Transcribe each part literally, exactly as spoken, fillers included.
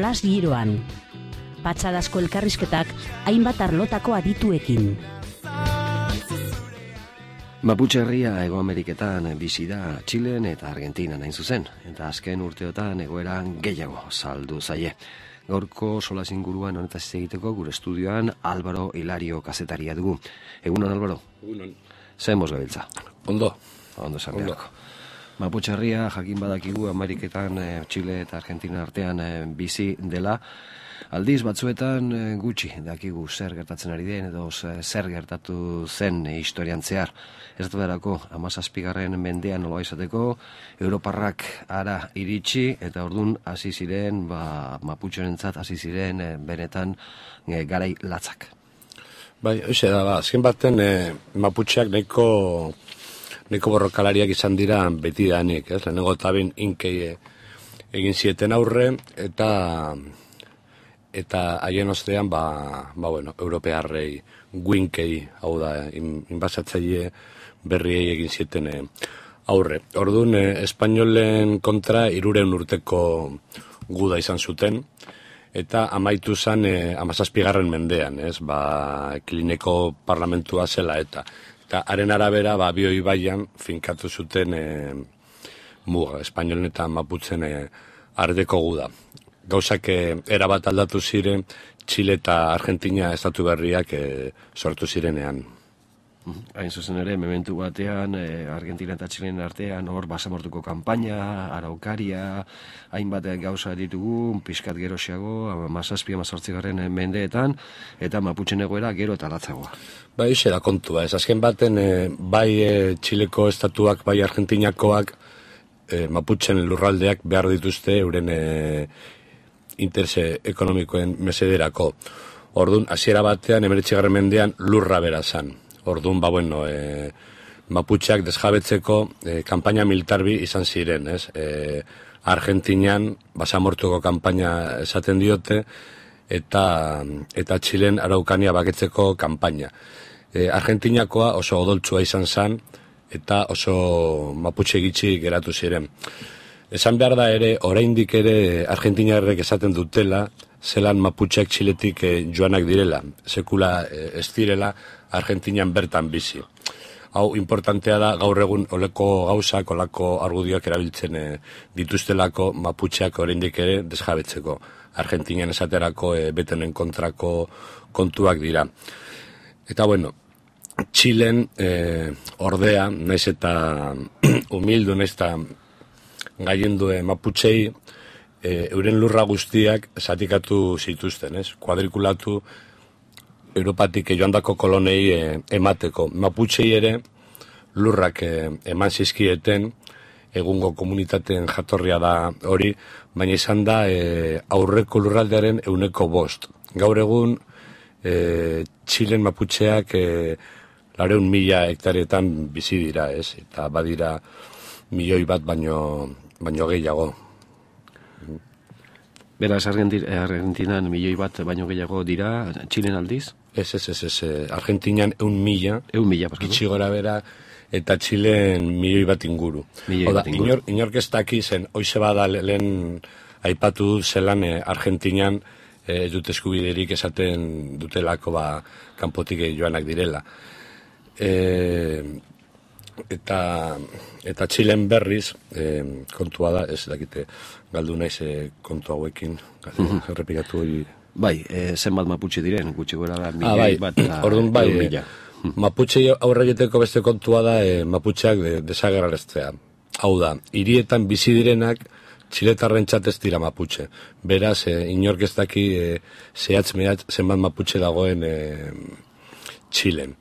solas giroan. Patxadazko elkarrizketak hainbat arlotako adituekin. Mapuche herria Hego Ameriketan bizi da Txilen eta Argentinan hain zuzen, eta azken urteotan egoeran gehiago saldu zaie. Gaurko solas inguruan honetaz hitz egiteko gure estudioan Álvaro Hilario kazetaria dugu. Egunon, Álvaro? Egunon. Zer moz gabiltza? Ondo. Ondo sarriako. Mapuche herria jakin badakigu Ameriketan, eh, Txile eta Argentina artean eh, bizi dela. Aldiz batzuetan eh, gutxi dakigu zer gertatzen ari den edo zer gertatu zen eh, historian zehar. Ez duerako hamazazpigarren mendean nola izateko, Europarrak ara iritsi eta ordun hasi ziren, ba, Maputxorentzat hasi ziren eh, benetan eh, garai latzak. Bai, hoxe da, ba, azken baten eh, Maputxeak nahiko, nahiko borrokalariak izan dira beti danik, ez? Lehenengo eta ben inkei eh, egin zieten aurre, eta eta haien ostean, ba, ba bueno, europearrei guinkei, hau da, inbasatzaile berriei egin zieten eh, aurre. Orduan, eh, espainolen kontra iruren urteko guda izan zuten, eta amaitu zen eh, amazazpigarren mendean, ez, ba, Klineko parlamentua zela, eta eta haren arabera, ba, bioi baian finkatu zuten eh, muga, espainolen eta maputzen eh, ardeko guda. Gauzak erabat aldatu ziren, Txile eta Argentina estatu berriak e, sortu zirenean. Hain zuzen ere, mementu batean, e, Argentina eta Txilen artean, hor basamortuko kanpaina, araukaria, hainbat gauza ditugu, pixkat gerosiago, mazazpi, amazortzigarren mendeetan, eta Maputxen egoera gero eta latzagoa. Bai, ise da kontua, ez azken baten, e, bai e, Txileko estatuak, bai Argentinakoak, e, Maputxen lurraldeak behar dituzte, euren e, interese ekonomikoen mesederako. Orduan, hasiera batean, hemeretzigarren mendean lurra bera zan. Orduan, ba, bueno, e, Maputxeak desjabetzeko e, kanpaina militarbi izan ziren, ez? E, Argentinan basamortuko kanpaina esaten diote, eta, eta Txilen Araukania baketzeko kanpaina. E, Argentinakoa oso odoltsua izan zan, eta oso Maputxe gitxi geratu ziren. Esan behar da ere, oraindik ere Argentinarrek esaten dutela, zelan Maputxeak Txiletik eh, joanak direla, sekula eh, ez direla Argentinan bertan bizi. Hau importantea da, gaur egun oleko gauzak, olako argudioak erabiltzen eh, dituztelako Maputxeak oraindik ere desjabetzeko. Argentinan esaterako eh, betenen kontrako kontuak dira. Eta bueno, Txilen eh, ordea, naiz eta humildu, naiz eta gaiendu Maputxei, e, euren lurra guztiak zatikatu zituzten, ez? Kuadrikulatu Europatik joandako kolonei e, emateko. Maputxei ere lurrak e, eman zizkieten, egungo komunitateen jatorria da hori, baina izan da e, aurreko lurraldearen euneko bost. Gaur egun, e, Txilen Maputxeak e, lareun mila hektaretan bizi dira, ez? Eta badira milioi bat baino, baino gehiago. Beraz, Argentinan milioi bat baino gehiago dira, Txilen aldiz? Ez, ez, ez, ez, Argentinan eun mila, eun mila, gitxi gora bera, eta Txilen milioi bat inguru. Milioi bat inguru. Inor, inork ez daki zen, hoize bada lehen aipatu dut zelan eh, Argentinan eh, ez dut eskubiderik esaten dutelako ba, kanpotik joanak direla. Eh, eta eta Txilen berriz eh, kontua da, ez dakite galdu naiz eh, kontu hauekin mm-hmm. errepikatu hori. Bai, eh, zenbat Maputxe diren, gutxi gora da, milioi ah, bai. bat eta orduan bai, eh, Maputxe aurre egiteko beste kontua da eh, Maputxeak de, desagerraraztea. Hau da, hirietan bizi direnak Txiletarrentzat ez dira Maputxe. Beraz, eh, inork ez daki eh, zehatz mehatz zenbat Maputxe dagoen eh, Txilen.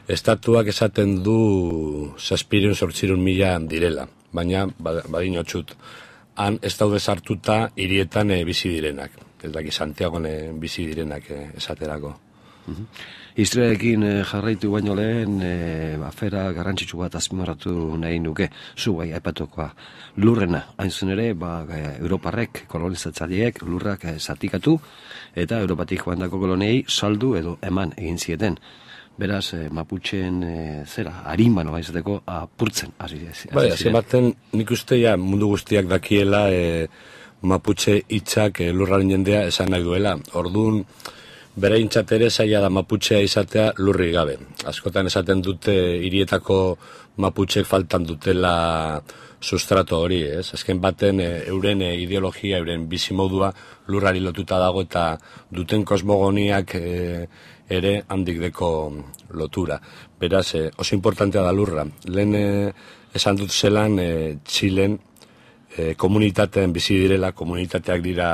Estatuak esaten du zazpireun sortzirun mila direla, baina badin otxut. Han ez daude sartuta hirietan e, bizi direnak. Ez daki Santiagoan e, bizi direnak e, esaterako. Uh-huh. Historiarekin e, jarraitu baino lehen e, afera garrantzitsu bat azpimarratu nahi nuke. Zu bai aipatukoa lurrena. Hain zen ere, ba, Europarrek, kolonizatzaileek lurrak e, zatikatu eta Europatik joandako koloniei saldu edo eman egin zieten. Beraz, eh, Maputxeen eh, zera, harinbano baizateko apurtzen hasi ziren. Bai, azken baten nik uste ja mundu guztiak dakiela eh, Maputxe hitzak e, lurraren jendea esan nahi duela. Orduan, bere hintzat ere zaila da Maputxea izatea lurri gabe. Askotan esaten dute hirietako Maputxek faltan dutela sustrato hori, ez? Azken baten e, euren e, ideologia, euren bizimodua lurrari lotuta dago eta duten kosmogoniak e, ere handik deko lotura. Beraz, e, oso importantea da lurra. Lehen e, esan dut zelan e, Txilen e, komunitateen bizi direla, komunitateak dira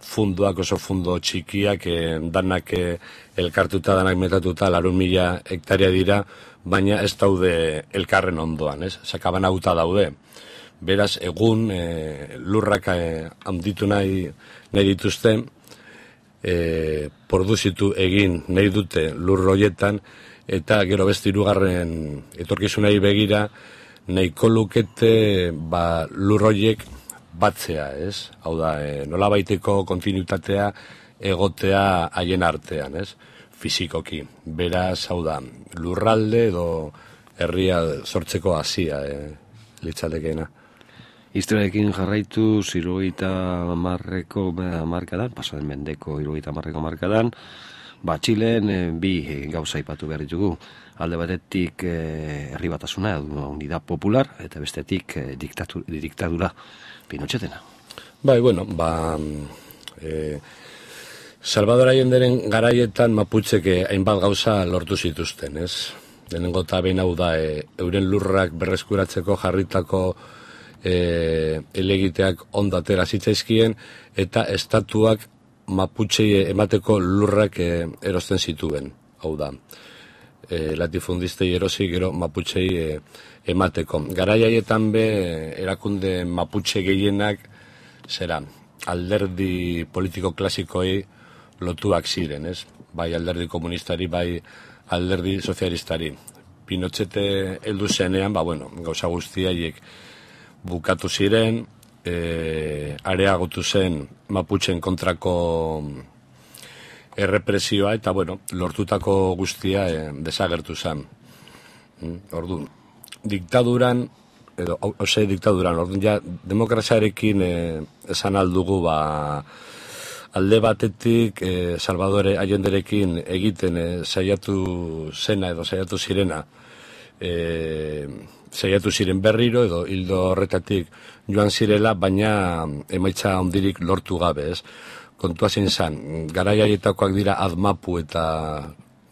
funduak, oso fundo txikiak, e, danak e, elkartuta, danak metatuta, larun mila hektaria dira, baina ez daude elkarren ondoan, ez? Sakabanauta daude. Beraz, egun e, lurrak e, handitu nahi, nahi dituzte, e, produzitu egin nahi dute lur horietan, eta gero beste hirugarren etorkizunari begira, nahiko lukete ba, lur horiek batzea, ez? Hau da, e, nolabaiteko kontinuitatea egotea haien artean, ez? Fizikoki. Beraz, hau da, lurralde edo herria sortzeko hasia e, litzaldekeena. Historiarekin jarraitu, hirurogeita hamarreko hamarkadan, pasaden mendeko hirurogeita hamarreko hamarkadan, ba, Txilen e, bi e, gauza aipatu behar ditugu. Alde batetik e, herri batasuna, unidad popular, eta bestetik e, diktatu, diktadura Pinochetena. Bai, bueno, ba... E, Salvador Allenderen garaietan Maputxeke hainbat gauza lortu zituzten, ez? Lehenengo eta behin hau da, e, euren lurrak berreskuratzeko jarritako e, elegiteak ondo atera zitzaizkien, eta estatuak Maputxei emateko lurrak e, erosten zituen, hau da. E, latifundistei erosi gero Maputxei e, emateko. Garai haietan be erakunde Maputxe gehienak zera alderdi politiko klasikoei lotuak ziren, ez? Bai alderdi komunistari, bai alderdi sozialistari. Pinochete heldu zenean, ba bueno, gauza guztiaiek bukatu ziren, e, areagotu zen Maputxen kontrako errepresioa, eta bueno, lortutako guztia e, desagertu zen. Orduan, diktaduran, edo, ose diktaduran, orduan ja, demokraziarekin e, esan aldugu, ba, alde batetik e, Salvador Allenderekin egiten e, saiatu zena edo saiatu zirena, e, saiatu ziren berriro edo hildo horretatik joan zirela, baina emaitza handirik lortu gabe, ez? Kontua zein zan, garai haietakoak dira Admapu eta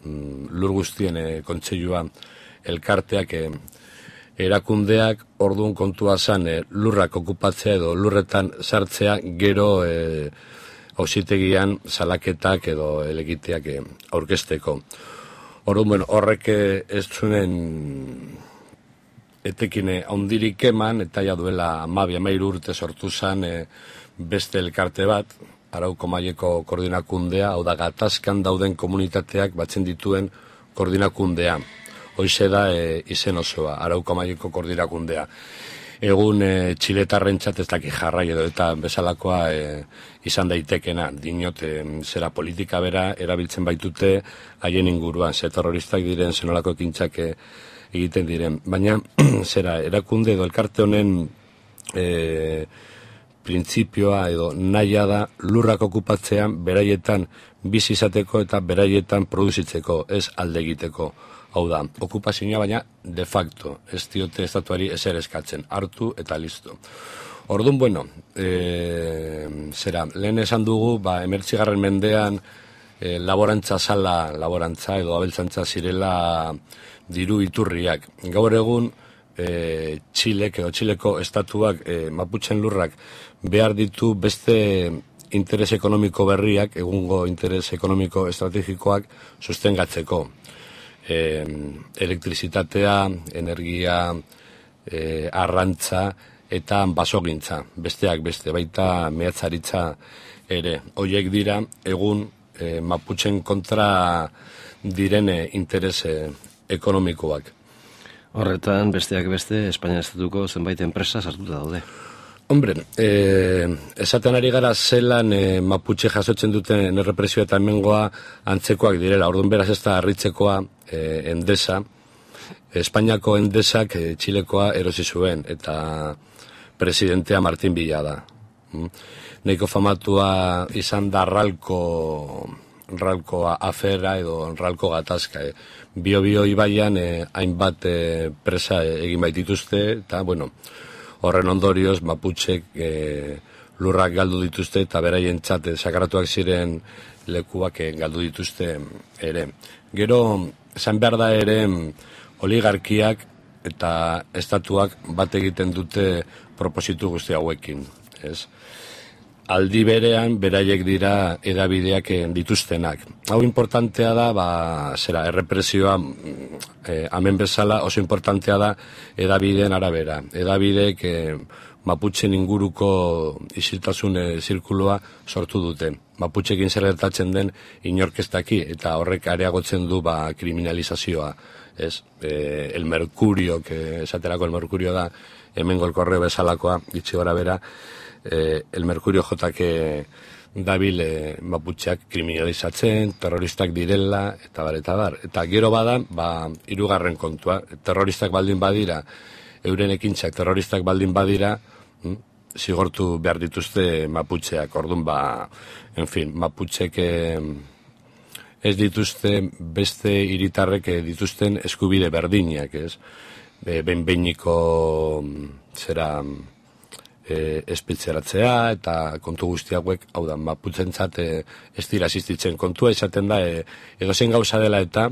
mm, lur guztien e, kontseilua elkarteak e, erakundeak, orduan kontua zan e, lurrak okupatzea edo lurretan sartzea, gero e, auzitegian salaketak edo elegiteak aurkezteko. Orduan, bueno, horrek ez zuen etekine handirik eman, eta ja duela hamabi hamahiru urte sortu zen e, beste elkarte bat, Arauko maileko koordinakundea, hau da gatazkan dauden komunitateak batzen dituen koordinakundea. Hoize da e, izen osoa, Arauko maileko koordinakundea. Egun e, txiletarrentzat ez daki jarrai edo eta bezalakoa e, izan daitekena, dinot e, zera politika bera erabiltzen baitute haien inguruan, ze terroristak diren, zenolako ekintzak e, egiten diren. Baina, zera, erakunde edo elkarte honen e, printzipioa edo naia da lurrak okupatzean beraietan bizi izateko eta beraietan produzitzeko, ez alde egiteko. Hau da, okupazioa baina de facto, ez diote estatuari ezer eskatzen, hartu eta listo. Orduan, bueno, e, zera, lehen esan dugu, ba, emertzigarren mendean e, laborantza zala, laborantza edo abeltzantza zirela diru iturriak. Gaur egun, e, Txilek edo Txileko estatuak, e, Maputxen lurrak, behar ditu beste interes ekonomiko berriak, egungo interes ekonomiko estrategikoak sustengatzeko. E, elektrizitatea, energia, e, arrantza eta basogintza, besteak beste, baita mehatzaritza ere. Horiek dira, egun e, Maputxen kontra direne interes e, ekonomikoak. Horretan, besteak beste, Espainia estatuko zenbait enpresa sartuta daude. Hombre, eh, esaten ari gara zelan eh, Maputxe jasotzen duten errepresio eta hemengoa antzekoak direla. Orduan beraz ez da harritzekoa eh, Endesa. Espainiako Endesak eh, Txilekoa erosi zuen eta presidentea Martin Villa da. Mm. Neiko famatua izan da ralko, ralko afera edo ralko gatazka. E. Bio-bio ibaian eh, hainbat eh, presa egin baitituzte, eta, bueno, horren ondorioz Maputxek eh, lurrak galdu dituzte, eta beraien txate sakratuak ziren lekuak eh, galdu dituzte ere. Gero, esan behar da ere, oligarkiak eta estatuak bat egiten dute propositu guzti hauekin, ez? Aldi berean, beraiek dira edabideak dituztenak. Hau importantea da, ba, zera, errepresioa, eh, hemen bezala, oso importantea da edabideen arabera. Edabidek eh, Maputxen inguruko isiltasun eh, zirkulua sortu dute. Maputxekin zer gertatzen den inorkestaki, eta horrek areagotzen du ba, kriminalizazioa. Ez, eh, el Mercurio, que esaterako el Mercurio da, hemengo el Correo bezalakoa, gitxi gora bera, eh, el Mercurio jotake dabil eh, Maputxeak kriminalizatzen, terroristak direla, eta bar, eta bar. Eta gero bada, ba, hirugarren kontua, terroristak baldin badira, euren ekintzak terroristak baldin badira, hm, zigortu behar dituzte Maputxeak, orduan ba, en fin, Maputxek eh, ez dituzte beste hiritarrek dituzten eskubide berdinak, ez? E, behin-behiniko zera e, espetxeratzea eta kontu guzti hauek, hau da, Maputxentzat e, ez dira asistitzen kontua, izaten da, e, edozein gauza dela eta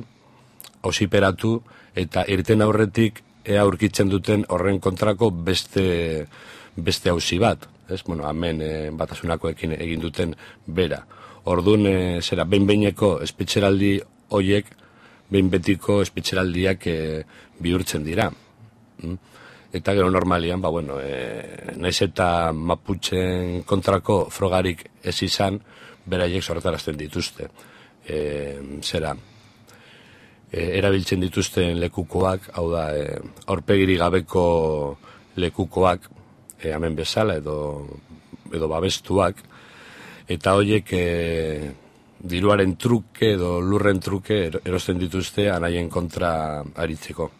auziperatu eta irten aurretik ea aurkitzen duten horren kontrako beste beste auzi bat, ez? Bueno, hemen e, batasunakoekin egin duten bera. Orduan, e, zera, behin-behineko espetxeraldi hoiek, behin-betiko espetxeraldiak e, bihurtzen dira. Mm? Eta gero normalian, ba, bueno, e, naiz eta Maputxen kontrako frogarik ez izan, beraiek sortarazten dituzte. E, zera, e, erabiltzen dituzten lekukoak, hau da, e, aurpegiri gabeko lekukoak, e, hemen bezala, edo, edo babestuak, eta horiek e, diruaren truke edo lurren truke erosten dituzte anaien kontra aritzeko.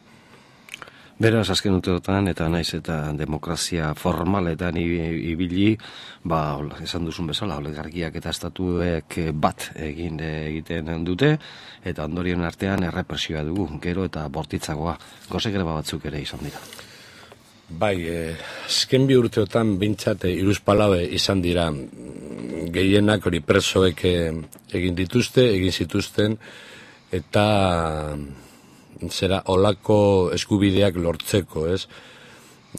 Beraz, azken urteotan eta naiz eta demokrazia formaletan ibili, ba, esan duzun bezala, oligarkiak eta estatuek bat egin egiten dute, eta ondorioen artean errepresioa dugu, gero eta bortitzagoa, goze greba batzuk ere izan dira. Bai, eh, azken bi urteotan bintzat eh, iruzpalaue izan dira, gehienak hori presoek egin dituzte, egin zituzten, eta zera olako eskubideak lortzeko, ez?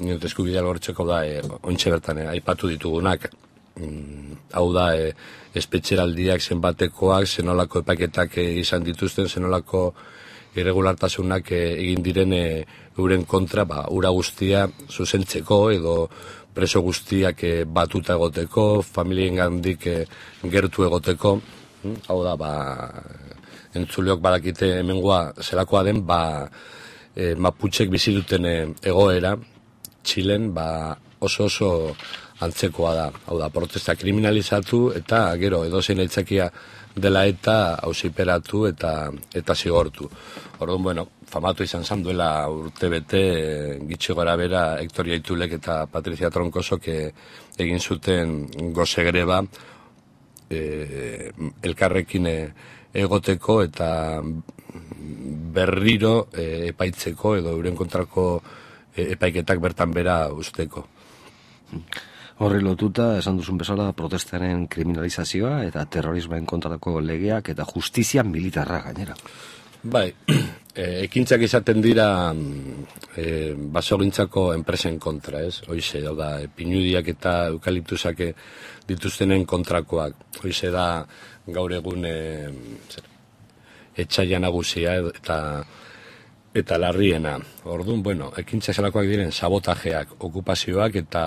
Eskubideak lortzeko da, e, ontxe bertan, e, aipatu ditugunak, mm, hau da, e, espetxeraldiak zenbatekoak, zenolako epaketak e, izan dituzten, zenolako irregulartasunak e, egin diren e, euren kontra, ba, ura guztia zuzentzeko, edo preso guztiak e, batuta egoteko, familien gandik e, gertu egoteko, mm, hau da, ba, entzuleok badakite hemengoa zelakoa den, ba, e, Maputxek bizi duten egoera, Txilen, ba, oso oso antzekoa da. Hau da, protesta kriminalizatu eta gero edozein aitzakia dela eta auziperatu eta eta zigortu. Orduan, bueno, famatu izan zan duela urtebete gitxi gora bera Hektor Jaitulek eta Patrizia Tronkosok egin zuten goze greba e, elkarrekin e, egoteko eta berriro e, epaitzeko edo euren kontrako e, epaiketak bertan bera usteko. Horri lotuta, esan duzun bezala, protestaren kriminalizazioa eta terrorismoen kontrako legeak eta justizia militarra gainera. Bai, e, ekintzak izaten dira e, basogintzako enpresen kontra, ez? Hoize, da, pinudiak eta eukaliptusak dituztenen kontrakoak. Hoize da, gaur egun e, etxaila nagusia eta eta larriena. Orduan, bueno, ekintzak zelakoak diren sabotajeak, okupazioak eta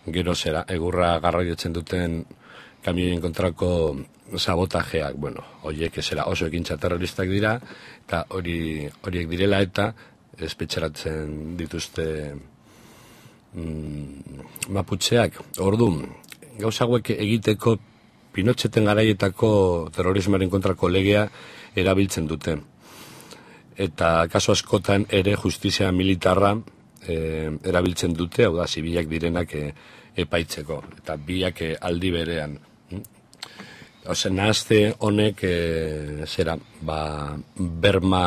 gero zera, egurra garraiotzen duten kamioien kontrako sabotajeak, bueno, horiek zera oso ekintza terroristak dira, eta hori horiek direla eta espetxeratzen dituzte mm, Maputxeak. Orduan, gauza hauek egiteko Pinotxeten garaietako terrorismoaren kontrako legea erabiltzen dute. Eta kaso askotan ere justizia militarra e, erabiltzen dute, hau da, zibilak direnak e, epaitzeko, eta biak e, aldi berean. Ose, nahazte honek, e, zera, ba, berma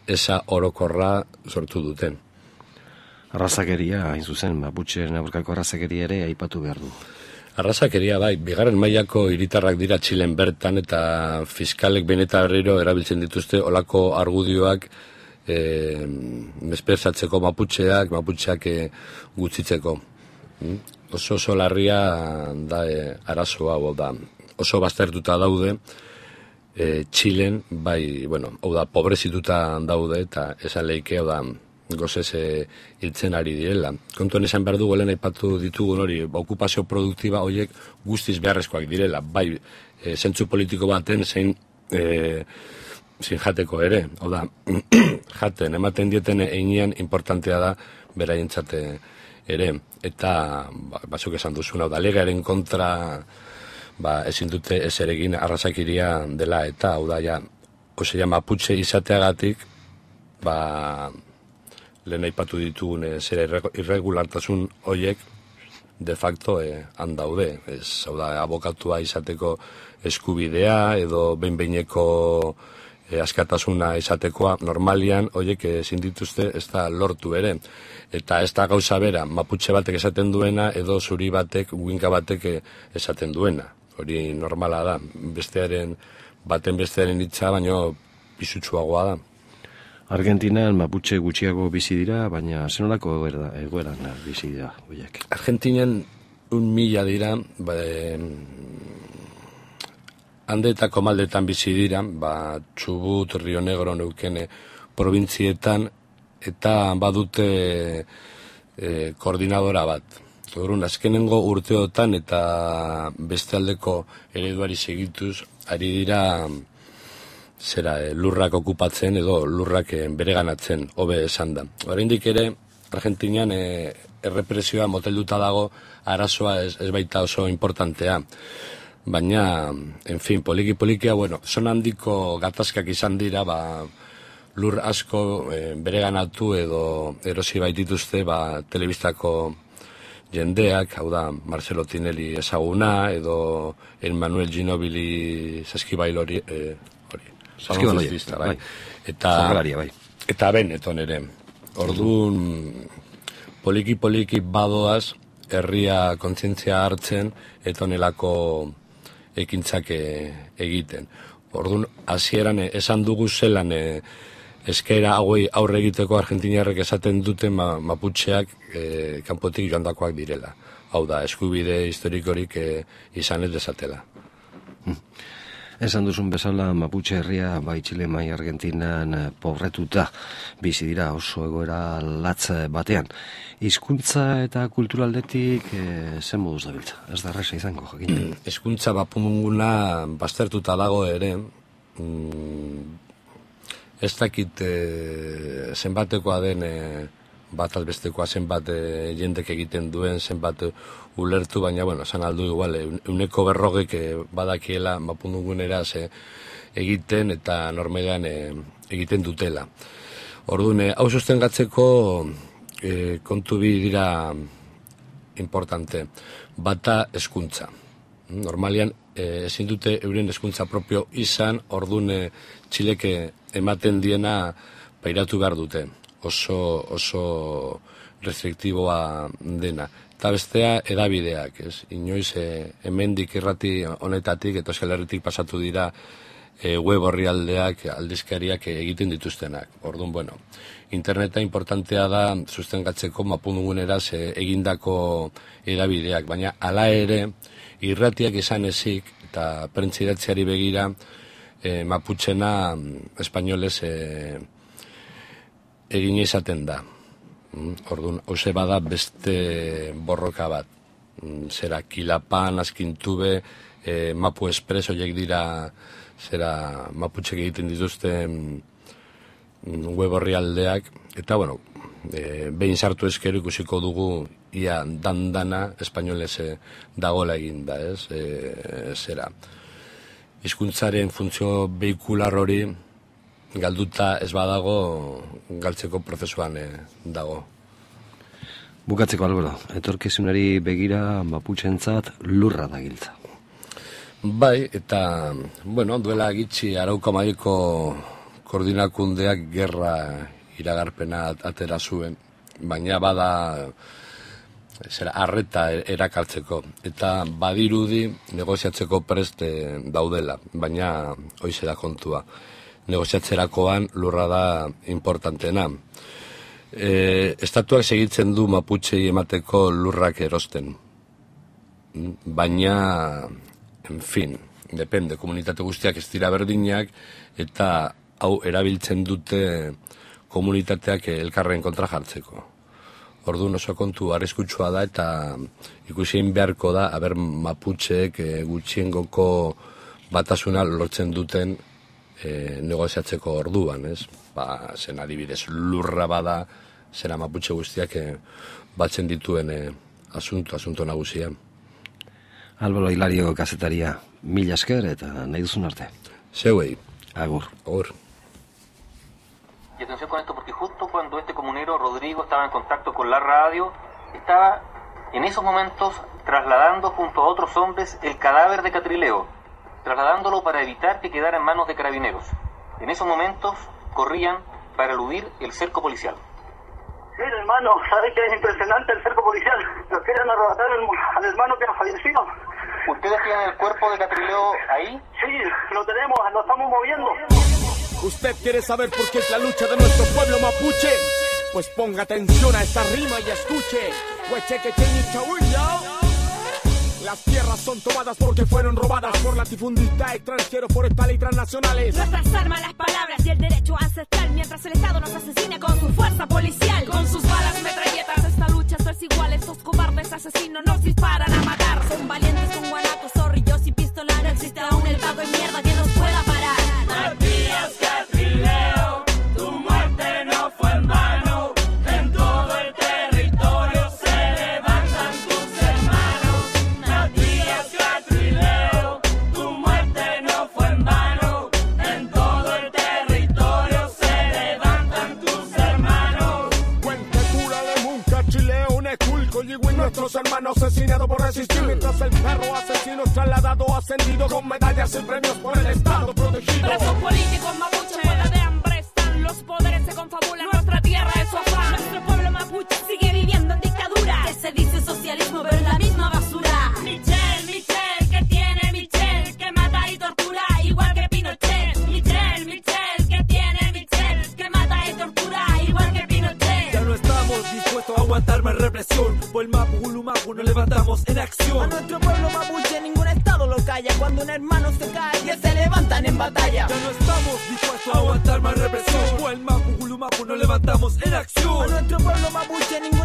eza orokorra sortu duten. Arrazakeria, hain zuzen, Maputxeren aurkako arrazakeria ere aipatu behar du. Arrazakeria, bai, bigarren mailako hiritarrak dira Txilen bertan, eta fiskalek beneta berriro erabiltzen dituzte olako argudioak e, mesperzatzeko Maputxeak, Maputxeak e, gutxitzeko. Mm? Oso oso larria da e, arazoa, hau da, oso baztertuta daude, e, Txilen, bai, bueno, hau da, pobrezituta daude, eta esan lehike, hau da, gozez e, hiltzen ari direla. Kontuan esan behar dugu, helen aipatu ditugun hori, ba, okupazio produktiba horiek guztiz beharrezkoak direla, bai, e, zentzu politiko baten zein e, zein jateko ere, hau da, jaten, ematen dieten einean importantea da beraientzat ere, eta ba, batzuk esan duzun, hau da, legearen kontra ba, ezin dute ez eregin arrazakiria dela, eta hau da, ja, osea, Maputxe izateagatik, ba, lehen aipatu ditugun e, zera irregulartasun horiek de facto e, handaude. Ez, hau da, abokatua izateko eskubidea edo behin-behineko e, askatasuna izatekoa normalian horiek ezin dituzte ez da lortu ere. Eta ez da gauza bera, Maputxe batek esaten duena edo zuri batek, uinka batek esaten duena. Hori normala da, bestearen, baten bestearen hitza, baino pisutsuagoa da. Argentinan Maputxe gutxiago bizi dira, baina zenolako egoera, egoeran bizi dira horiek. Argentinan un mila dira, ba, handetako maldetan bizi dira, ba, Txubut, Rio Negro, Neukene provintzietan, eta badute e, koordinadora bat. Orduan, azkenengo urteotan eta beste aldeko ereduari segituz, ari dira zera, lurrak okupatzen edo lurrak bereganatzen, hobe esan da. Oraindik ere, Argentinan e, errepresioa motelduta dago, arazoa ez, ez baita oso importantea. Baina, en fin, poliki-polikia, bueno, zon handiko gatazkak izan dira, ba, lur asko e, bereganatu edo erosi baitituzte, ba, telebistako jendeak, hau da, Marcelo Tinelli ezaguna, edo Emmanuel Ginobili Saskibail hori, e, Salonzista, bai. Eta, bai. Eta Benetton ere. Orduan, poliki-poliki badoaz, herria kontzientzia hartzen, eta onelako ekintzak egiten. Orduan, hasieran esan dugu zelan eskaera hauei aurre egiteko argentiniarrek esaten duten ma, Maputxeak e, kanpotik joandakoak direla. Hau da, eskubide historikorik e, izan ez desatela. Hmm. Esan duzun bezala Maputxe herria bai Txile mai Argentinan pobretuta bizi dira oso egoera latz batean. Hizkuntza eta kulturaldetik e, zen moduz dabiltza? Ez da erresa izango, jakin. Hizkuntza bapumunguna baztertuta dago ere, mm, ez dakit e, zenbatekoa den e, bat albestekoa zenbat e, jendek egiten duen, zenbat ulertu, baina, bueno, esan aldu igual, uneko berrogek e, badakiela mapundungunera ze egiten eta normalean e, egiten dutela. Orduan, e, hau sostengatzeko e, kontu bi dira importante. Bata hezkuntza. Normalean, e, ezin dute euren hezkuntza propio izan, orduan e, Txileke ematen diena pairatu behar dute. Oso, oso restriktiboa dena. Eta bestea edabideak, ez? Inoiz e, hemendik irrati honetatik eta Euskal Herritik pasatu dira e, web orrialdeak, aldizkariak egiten dituztenak. Orduan, bueno, interneta importantea da sustengatzeko mapundungunera egindako edabideak, baina hala ere irratiak izan ezik eta prentzidatziari begira e, Maputxena espainolez e, egin izaten da. Orduan, hause bada beste borroka bat. Zera, Kilapan, Azkintube, e, Mapu Express, horiek dira, zera, Maputxek egiten dituzte web orrialdeak, eta, bueno, e, behin sartu ezkero ikusiko dugu, ia dandana, espainolez dagoela eginda, ez? E, zera, hizkuntzaren funtzio veikular hori, galduta ez badago galtzeko prozesuan e, dago. Bukatzeko Albero, etorkizunari begira Maputxentzat lurra da giltza. Bai, eta, bueno, duela gitxi Arauko Mahaiko koordinakundeak gerra iragarpena atera zuen, baina bada zera, arreta erakartzeko, eta badirudi negoziatzeko preste daudela, baina hoize da kontua. Negoziatzerakoan lurra da importantena. E, estatuak segitzen du Maputxei emateko lurrak erosten. Baina, en fin, depende, komunitate guztiak ez dira berdinak, eta hau erabiltzen dute komunitateak elkarren kontra jartzeko. Orduan oso kontu arriskutsua da, eta ikusien beharko da, aber Maputxeek e, gutxiengoko batasuna lortzen duten e, negoziatzeko orduan, ez? Ba, zen adibidez lurra bada, zera Maputxe guztiak e, batzen dituen e, asunto, asunto nagusia. Albero Hilario kazetaria, mila esker eta nahi duzun arte. Zeuei. Agur. Agur. Y atención con esto, porque justo cuando este comunero Rodrigo estaba en contacto con la radio, estaba en esos momentos trasladando junto a otros hombres el cadáver de Catrileo, trasladándolo para evitar que quedara en manos de carabineros. En esos momentos corrían para eludir el cerco policial. Mira, hermano, ¿sabes qué es impresionante el cerco policial? Lo quieren arrebatar al, al hermano que ha fallecido. ¿Ustedes tienen el cuerpo de Catrileo ahí? Sí, lo tenemos, lo estamos moviendo. ¿Usted quiere saber por qué es la lucha de nuestro pueblo mapuche? Pues ponga atención a esta rima y escuche. Las tierras son tomadas porque fueron robadas por latifundistas extranjeros, forestales y transnacionales. Nuestras armas, las palabras y el derecho ancestral, mientras el Estado nos asesina con su fuerza policial. Con sus balas metralletas, esta lucha es desigual. Estos cobardes asesinos nos disparan a matar. Son valientes con guanacos, zorrillos y pistolas. No existe aún el pago de mierda que nos pueda parar. Matías Catrileo, tu muerte no fue en vano. En todo el territorio se levantan tus hermanos. Matías Catrileo, tu muerte no fue en vano. En todo el territorio se levantan tus hermanos. Cuentetura de Munca, Chileo, Neculco, Yigüín, nuestros hermanos asesinados por resistir. Mientras el perro asesino es trasladado, ascendido con medallas y premios por el Estado protegido. Presos políticos mapuche, muerta de hambre están. Los poderes se confabulan, nuestra tierra es su afán. Nuestro pueblo mapuche sigue viviendo en dictadura. Que se dice socialismo, pero es la misma basura. Michel, Michel, que tiene Michel, que mata y tortura, igual que Pinochet. Michel, Michel, que tiene Michel, que mata y tortura, igual que Pinochet. Ya no estamos dispuestos a aguantar más represión. Por el Mapu Gulumapu nos levantamos en acción. A nuestro pueblo mapuche ningún estado lo calla. Cuando un hermano se cae, se levantan en batalla. Ya no estamos dispuestos a aguantar más represión. Por el Mapu Gulumapu nos levantamos en acción. A nuestro pueblo mapuche ningún